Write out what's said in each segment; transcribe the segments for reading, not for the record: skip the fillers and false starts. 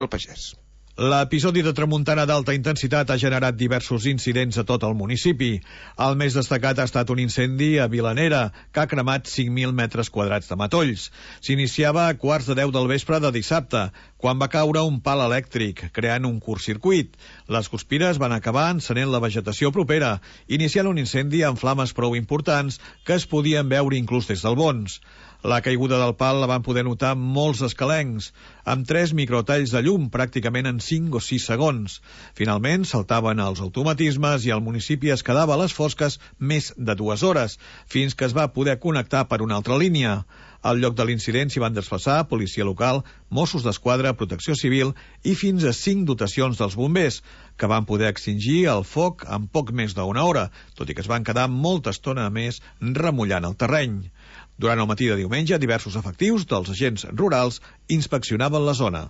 el pagès. L'episodi de tramuntana d'alta intensitat ha generat diversos incidents a tot el municipi. El més destacat ha estat un incendi a Vilanera, que ha cremat 5.000 metres quadrats de matolls. S'iniciava a 9:15 del vespre de dissabte, quan va caure un pal elèctric, creant un curtcircuit. Les guspires van acabar encenent la vegetació propera, iniciant un incendi amb flames prou importants que es podien veure inclús des del Bons. La caiguda del pal la van poder notar molts escalencs, amb 3 microtalls de llum pràcticament en 5 o 6 segons. Finalment saltaven els automatismes i el municipi es quedava a les fosques més de 2 hores, fins que es va poder connectar per una altra línia. Al lloc de l'incident s'hi van desplaçar policia local, Mossos d'Esquadra, Protecció Civil i fins a 5 dotacions dels bombers, que van poder extingir el foc en poc més d'una hora, tot i que es van quedar molta estona més remullant el terreny. Durant el matí de diumenge, diversos efectius dels agents rurals inspeccionaven la zona.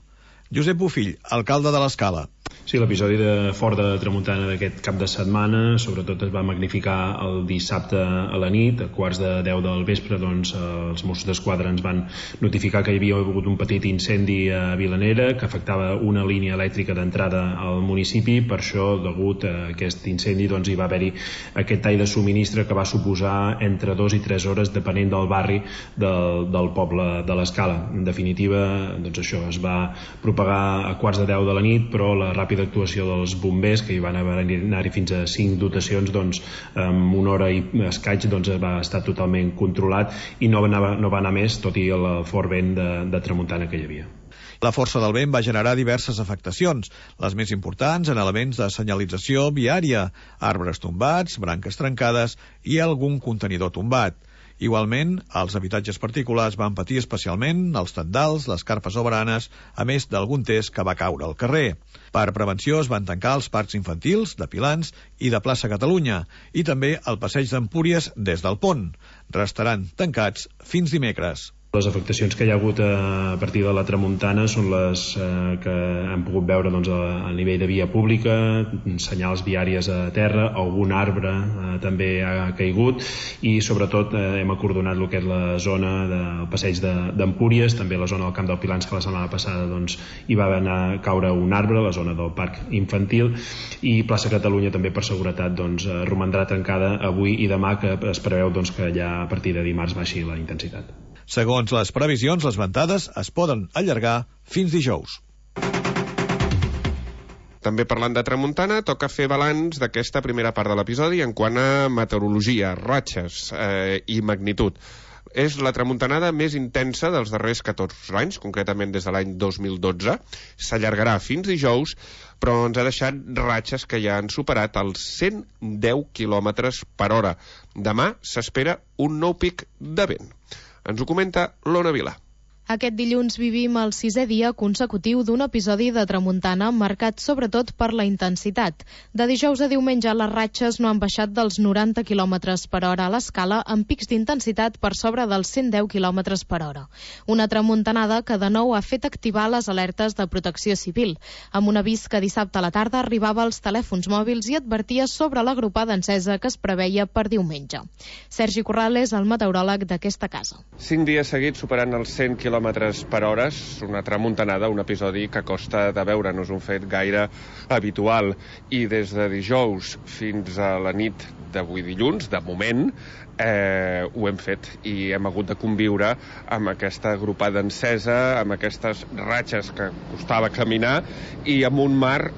Josep Bofill, alcalde de l'Escala. Sí, l'episodi de fort de tramuntana d'aquest cap de setmana sobretot es va magnificar el dissabte a la nit. A 9:15 del vespre doncs, els Mossos d'Esquadra ens van notificar que hi havia hagut un petit incendi a Vilanera que afectava una línia elèctrica d'entrada al municipi. Per això, degut a aquest incendi, doncs, hi va haver-hi aquest tall de subministre que va suposar entre 2 i 3 hores depenent del barri del poble de l'Escala. En definitiva, doncs això es va propagar a 9:15 de la nit, però la ràpida actuació dels bombers, que hi van anar-hi fins a 5 dotacions, doncs en una hora i escaig doncs va estar totalment controlat i no va anar més, tot i el fort vent de tramuntana que hi havia. La força del vent va generar diverses afectacions, les més importants en elements de senyalització viària, arbres tombats, branques trencades i algun contenidor tombat. Igualment, els habitatges particulars van patir especialment els tendals, les carpes o baranes, a més d'algun test que va caure al carrer. Per prevenció es van tancar els parcs infantils de Pilans i de Plaça Catalunya i també el passeig d'Empúries des del pont. Restaran tancats fins dimecres. Les afectacions que hi ha hagut a partir de la tramuntana són les que hem pogut veure doncs, a nivell de via pública, senyals viàries a terra, algun arbre també ha caigut i sobretot hem acordonat el que és la zona del passeig d'Empúries, també la zona del Camp del Pilans, que la setmana passada doncs, hi va anar a caure un arbre, la zona del parc infantil, i Plaça Catalunya també per seguretat doncs, romandrà tancada avui i demà, que es preveu doncs, que ja a partir de dimarts baixi la intensitat. Segons les previsions, les ventades es poden allargar fins dijous. També parlant de tramuntana, toca fer balanç d'aquesta primera part de l'episodi en quant a meteorologia, ratxes i magnitud. És la tramuntanada més intensa dels darrers 14 anys, concretament des de l'any 2012. S'allargarà fins dijous, però ens ha deixat ratxes que ja han superat els 110 km per hora. Demà s'espera un nou pic de vent. Ens ho comenta l'Ona Vilà. Aquest dilluns vivim el 6è dia consecutiu d'un episodi de tramuntana marcat sobretot per la intensitat. De dijous a diumenge les ratxes no han baixat dels 90 km per hora a l'Escala, amb pics d'intensitat per sobre dels 110 km per hora. Una tramuntanada que de nou ha fet activar les alertes de Protecció Civil, amb un avís que dissabte a la tarda arribava als telèfons mòbils i advertia sobre la gropada encesa que es preveia per diumenge. Sergi Corral és el meteoròleg d'aquesta casa. 5 dies seguits superant els 100 km per hora, una tramuntanada, un episodi que costa de veure, no és un fet gaire habitual, i des de dijous fins a la nit d'avui dilluns, de moment, ho hem fet i hem hagut de conviure amb aquesta gropada encesa, amb aquestes ratxes que costava caminar i amb un mar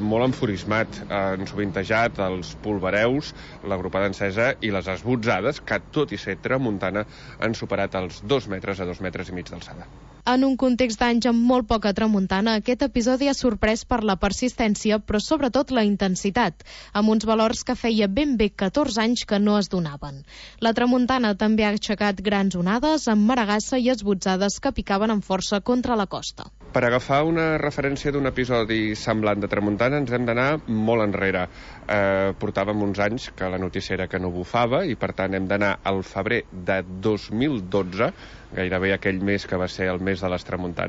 molt enfurismat. Han sovintejat els polvareus, la gropada encesa i les esbotzades que, tot i ser tramuntana, han superat els 2 metres a 2 metres i mig d'alçada. En un context d'anys amb molt poca tramuntana, aquest episodi ha sorprès per la persistència, però sobretot la intensitat, amb uns valors que feia ben bé 14 anys que no es donaven. La tramuntana també ha aixecat grans onades amb maragassa i esbotzades que picaven amb força contra la costa. Per agafar una referència d'un episodi semblant de tramuntana ens hem d'anar molt enrere. Portàvem uns anys que la notícia era que no bufava i per tant hem d'anar al febrer de 2012, gairebé aquell mes que va ser el mes de les tramuntanes.